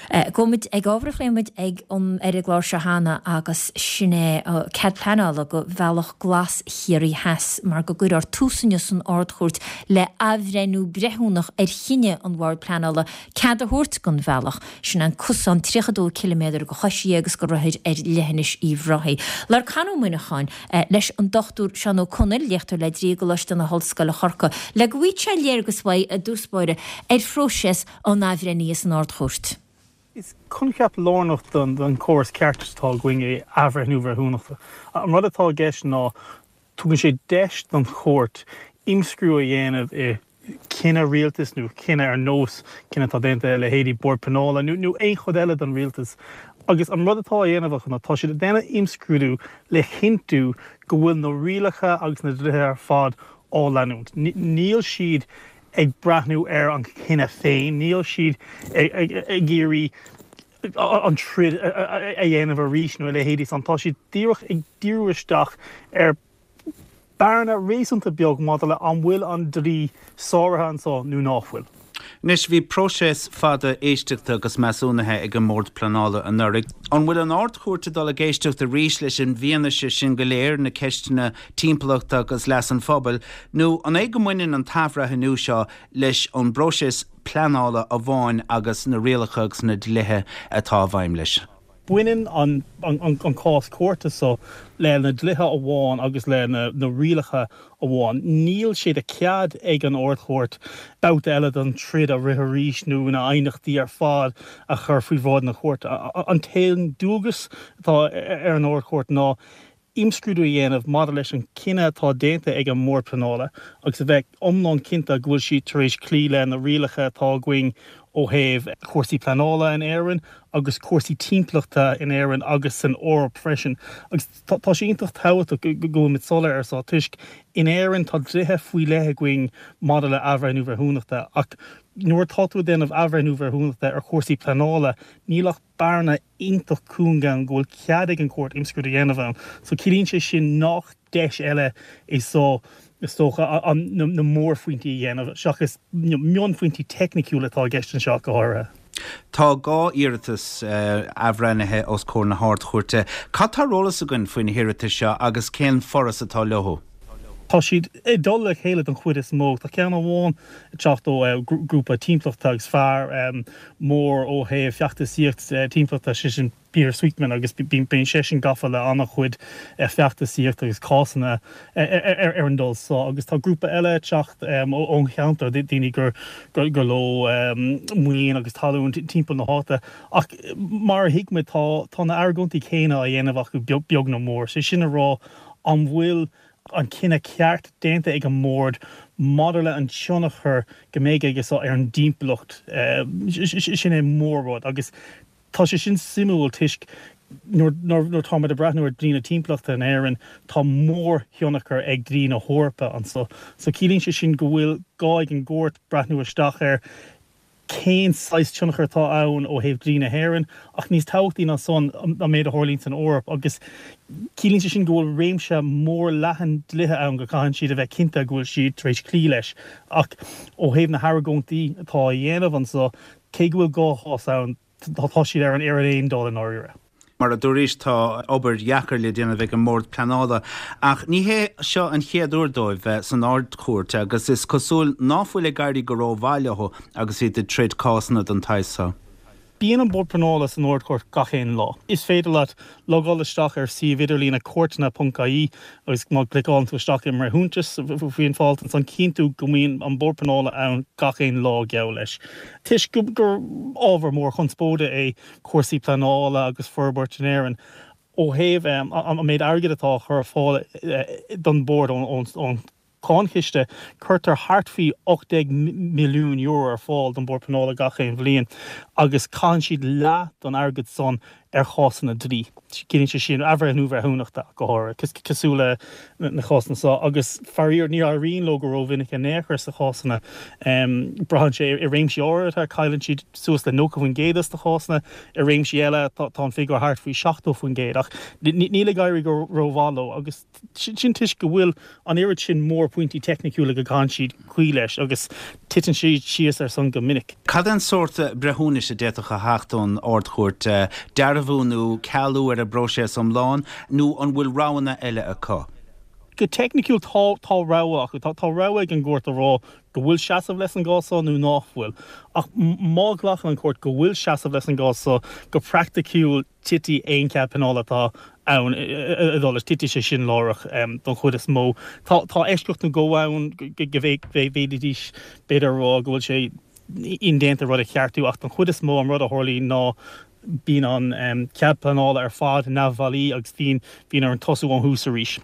Gabhfaidh muid ag ábhar a phléigh muid ag an ar an gclár seo cheana agus sin é cead pleanála do Bhealach Glas Chiarraí Theas mar go gcuirfear tús inniu san Ard-Chúirt le athbhreithniú breithiúnach ar chinneadh an Bhoird Pleanála cead a thabhairt don bhealach. Sin an cosán 32 ciliméadar do choisithe agus do rothair ar leithinis Uíbh Ráthaigh. Labhair Con Ó Muineacháin leis an Dr Seán Ó Conaill, léachtóir le Dlí i gColáiste na hOllscoile Corcaigh, le go bhfaighidh sé léargas uaidh i dtús báire ar phróiseas an athbhreithnithe san Ard-Chúirt. Is coincheap lárnach don chóras ceartais atá againn é athbhreithniú breithiúnachta. An rud atá i gceist ná tugann sé deis don chúirt imscrúdú a dhéanamh i cinneadh rialtais nó cinneadh ar nós cinneadh atá déanta ag leithéidí Bord Pleanála nó aon chuid eile den rialtas. Agus an rud atá á dhéanamh acu ná tá siad ag déanamh imscrúdú le chinntiú go bhfuil na rialacha agus na dlíthe ar fad á leanúint. Níl siad ag breathnú ar an chinneadh féin, níl siad ag iarraidh an troid a dhéanamh arís nó a leithéidí san. Tá siad díreach ag díriú isteach ar bearna réasúnta beag maidir le an bhfuil an dlí sáraithe anso nó ná fuil. Anois, bhí próiseas fada éisteachta agus measúnaithe ag an mBord Pleanála anuraidh. An bhfuil an Ard-Chúirt ag dul ag éisteacht arís leis an bhfianaise sin go léir, na ceisteanna timpeallachta agus leas an phobail, nó an é go mbaineann an t-athbhreithniú seo leis an bpróiseas pleanála amháin agus na rialacha agus na dlíthe atá i bhfeidhm leis? Baineann an cás cúirte seo le na dlíthe amháin agus le na rialacha amháin. Níl sé de chead ag an Ard-Chúirt babhta eile den troid a rith arís nó na haighneachtaí ar fad a chur faoi bhráid na cúirte. An t-aon dualgas atá ar an Ard-Chúirt ná imscrúdú a dhéanamh maidir leis an gcinneadh atá déanta ag an mBord Pleanála agus a bheith iomlán cinnte go bhfuil siad tar éis cloí le na rialacha atá againn ó thaobh cúrsaí pleanála in Éirinn agus cúrsaí timpeallachta in Éirinn agus san Eoraip freisin. Agus tá sé iontach tábhachtach go bhfuil muid soiléir ar seo toisc in Éirinn tá dlíthe faoi leith againn maidir le athbhreithniú breithiúnachta ach nuair atá tú ag déanamh athbhreithniú breithiúnachta ar chúrsaí pleanála níl ach bearna iontach cúng ann go bhfuil cead ag an chúirt imscrúdú a dhéanamh ann. So ciallaíonn sé sin nach deis eile é so, is dócha, na mórphointí a dhéanamh seachas mionphointí teicniciúla atá i gceist anseo ach go háirithe. Tá 2 iarratas athbhreithnithe os comhair na hArd-Chúirte. Cad tá ar eolas againn faoi na hiarratais seo agus cén foras atá leo? Tá siad ag dul le chéile don chuid is mó. Tá ceann amháin ag teacht ó ghrúpa timpeallachta agus fear mór ó thaobh feachtasaíocht timpeallachta, sé sin Peter Sweetman, agus bíonn seisean gafa le an-chuid feachtasaíocht agus cásanna ar an dul so. Agus tá grúpa eile ag teacht ón cheantar, daoine gur leo maoin agus talún timpeall na háite. Ach mar a thuigimid, tá na argóintí céanna á dhéanamh acu beag nó mór, sé sin a rá, an bhfuil an cinneadh ceart déanta ag an mBord maidir le an tionchar go mbeidh aige seo ar an dtimpeallacht. Sin é mór-rud agus tá sé sin suimiúil toisc nuair táimid ag breathnú ar dlí na timpeallachta in Éirinn tá mór-thionchar ag dlí na hEorpa anso. So ciallaíonn sé sin go bhfuil gá ag an gcúirt breathnú isteach ar cén saghas tionchar atá ann ó thaobh dlí na hÉireann, ach níos tábhachtaí ná san, an méid a tharlaíonn san Eoraip, agus ciallaíonn sé sin go bhfuil réimse mór leathan dlíthe ann go gcaitheann siad a bheith cinnte go bhfuil siad tar éis cloí leis. Ach ó thaobh na hargóintí atá á dhéanamh anso, cé go bhfuil 2 chás ann, tá siad ar an aon dul i ndáiríre. Mar a dúraís, tá obair dheacair le déanamh ag an mBord Pleanála, ach ní hé seo an chéad uair dóibh bheith san Ard-Chúirt agus is cosúil ná fuil ag éirí go rómhaith leo agus iad ag troid cásanna den tsaghas seo. Bíonn an Bord Pleanála san Ard-Chúirt gach aon lá. Is féidir leat logáil isteach ar suíomh idirlíne cúirteanna.ie agus má chliceálann tú isteach i mbreithiúntas faoin bhfo-alt ansan cíonn tú go mbíonn an Bord Pleanála ann gach aon lá geall leis. Toisc gur ábhar mór conspóide é cúrsaí pleanála agus forbairt in Éirinn ó thaobh an méid airgid atá á chur ar fáil don Bhord ón Cháinchiste, cuirtear thart faoi €18 milliún ar fáil don Bhord Pleanála gach aon bhliain agus caitheann siad leath don airgead san. ar chásanna dlí. Ciallaíonn sé sin athbhreithniú bhreithiúnachta go háirithe, cosúil le na cásanna seo, agus faraor ní éiríonn leo go rómhinic in aon chor sna cásanna. Braitheann sé i réimsí áirithe, cailleann siad suas le 90% de na cásanna, i réimsí eile tá an figiúr thart faoi 70%, ach níl ag éirí go rómhaith leo agus sin toisc go bhfuil an oiread sin mórphointí teicniciúla go gcaitheann siad cloí leis agus titeann siad síos ar san go minic. Cad é an sórt breithiúnais a d'fhéadfadh a theacht ón Ard-Chúirt? Dearbhú nó cealú ar an bpróiseas iomlán nó an bhfuil roghanna eile acu? Go teicniciúil tá, tá rogha acu. Tá, tá rogha ag an gcúirt a rá go bhfuil seasamh leis an gcás seo nó nach bhfuil. Ach má ghlacann an chúirt go bhfuil seasamh leis an gcás seo, go praiticiúil, titfidh aon chead pleanála atá ann i dul leis, titfidh sé sin láithreach don chuid is mó. Tá eisceacht nó dhó ann go bhféadfaidís b'fhéidir a rá go bhfuil sé indéanta rud a cheartú ach don chuid is mó an rud a tharlaíonn ná bíonn an cead pleanála ar fad neamhbhailí agus bíonn orainn tosú ón thús arís.